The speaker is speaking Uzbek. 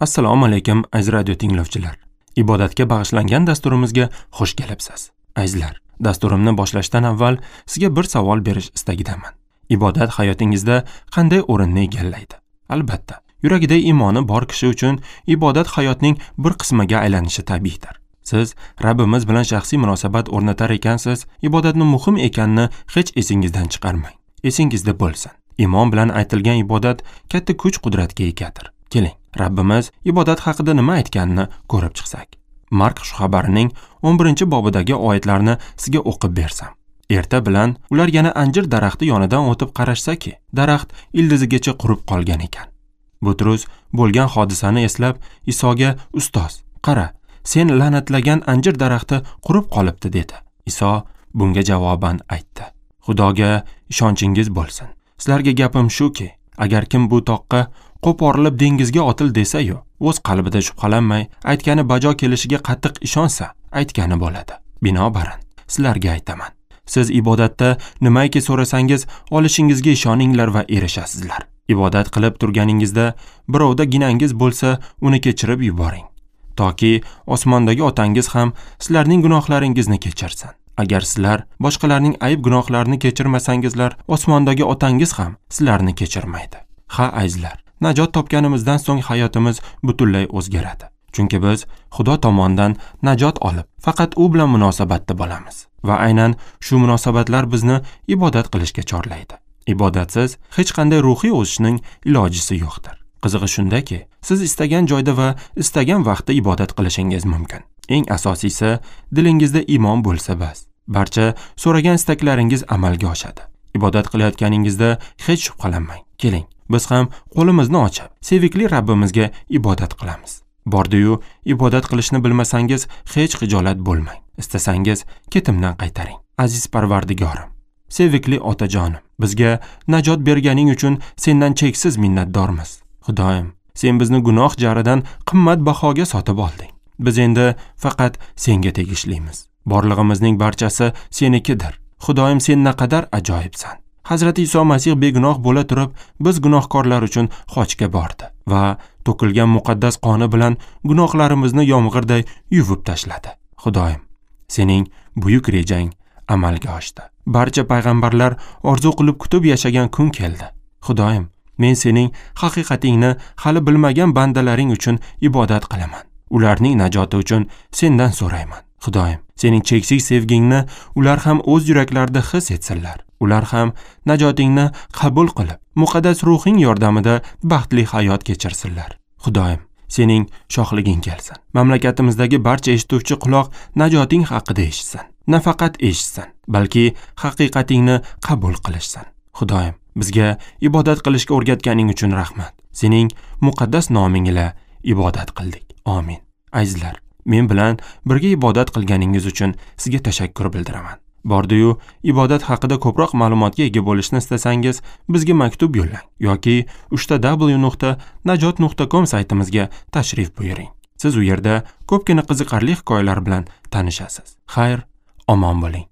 Assalomu alaykum, aziz radio tinglovchilar. Ibodatga bag'ishlangan dasturimizga xush kelibsiz. Azizlar, dasturimni boshlashdan avval sizga bir savol berish istagidaman. Ibodat hayotingizda qanday o'rinni egallaydi? Albatta, yuragida iymoni bor kishi uchun ibodat hayotning bir qismiga aylanishi tabiiydir. Siz Rabbimiz bilan shaxsiy munosabat o'rnatar ekansiz, ibodatni muhim ekanini hech esingizdan chiqarmang. Esingizda bo'lsin. Iymon bilan aytilgan ibodat katta kuch-qudratga egadir. Keling, Rabbimiz ibodat haqida nima aytganini ko'rib chiqsak. Mark xushxabarining 11-bobidagi oyatlarni sizga o'qib bersam. Erta bilan ular yana anjir daraxti yonidan o'tib qarashsa-ki, daraxt ildizigacha qurib qolgan ekan. Butrus bo'lgan hodisani eslab Isoga: "Ustoz, qara, sen la'natlagan anjir daraxti qurib qolibdi" dedi. Iso bunga javoban aytdi: "Xudoga ishonchingiz bo'lsin. Sizlarga gapim shuki, agar kim bu toqqa qo'porilib dengizga otil desa-yu, o'z qalbida shubhalanmay, aytgani bajo kelishiga qattiq ishonsa, aytgani bo'ladi. Binobarin, sizlarga aytaman, siz ibodatda nimaiki so'rasangiz, olishingizga ishoninglar va erishasizlar. Ibodat qilib turganingizda birovda ginangiz bo'lsa, uni kechirib yuboring, toki osmondagi otangiz ham sizlarning gunohlaringizni kechirsin. Agar sizlar boshqalarning ayb gunohlarini kechirmasangizlar, osmondagi otangiz ham sizlarni kechirmaydi." Ha, azizlar, najot topganimizdan so'ng hayotimiz butunlay o'zgaradi. Chunki biz Xudo tomonidan najot olib, faqat u bilan munosabatda bo'lamiz va aynan shu munosabatlar bizni ibodat qilishga chorlaydi. Ibodatsiz hech qanday ruhiy o'sishning ilojisi yo'qdir. Qizig'i shundaki, siz istagan joyda va istagan vaqtda ibodat qilishingiz mumkin. Eng asosiysi, dilingizda iymon bo'lsa bas. Barcha so'ragan istaklaringiz amalga oshadi. Ibodat qilayotganingizda hech shubhalanmang. Keling, biz ham qo'limizni ochib, sevikli Rabbimizga ibodat qilamiz. Bordi-yu, ibodat qilishni bilmasangiz hech xijolat bo'lmang. Istasangiz ketimdan qaytaring. Aziz Parvardigorim, sevikli otajonim, bizga najot berganing uchun sendan cheksiz minnatdormiz. Xudoyim, sen bizni gunoh jaridan qimmat bahoga sotib olding. Biz endi faqat senga tegishlimiz. Borlig'imizning barchasi senikidir. Xudoyim, sen naqadar ajoyibsan. Hazrati Iso Masih begunoh bo'la turib, biz gunohkorlar uchun xochga bordi va to'kilgan muqaddas qoni bilan gunohlarimizni yomg'irday yuvib tashladi. Xudoyim, sening buyuk rejang amalga oshdi. Barcha payg'ambarlar orzu qilib kutib yashagan kun keldi. Xudoyim, men sening haqiqatingni hali bilmagan bandalaring uchun ibodat qilaman. Ularning najoti uchun sendan so'rayman. Xudoyim, sening cheksiz sevgingni ular ham o'z yuraklarida his etsinlar. Ular ham najotingni qabul qilib, muqaddas ruhing yordamida baxtli hayot kechirsinlar. Xudoyim, sening shohliging kelsin. Mamlakatimizdagi barcha eshituvchi quloq najoting haqida eshitsin. Nafaqat eshitsin, balki haqiqatingni qabul qilishsin. Xudoyim, bizga ibodat qilishga o'rgatganing uchun rahmat. Sening muqaddas noming ila ibodat qildik. Amin. Azizlar, men bilan birga ibodat qilganingiz uchun sizga tashakkur bildiraman. Bordi-yu, ibodat haqida ko'proq ma'lumotga ega bo'lishni istasangiz, bizga maktub yo'llang yoki www.najot.com saytimizga tashrif buyuring. Siz u yerda ko'pgina qiziqarli hikoyalar bilan tanishasiz. Xayr, omon bo'ling.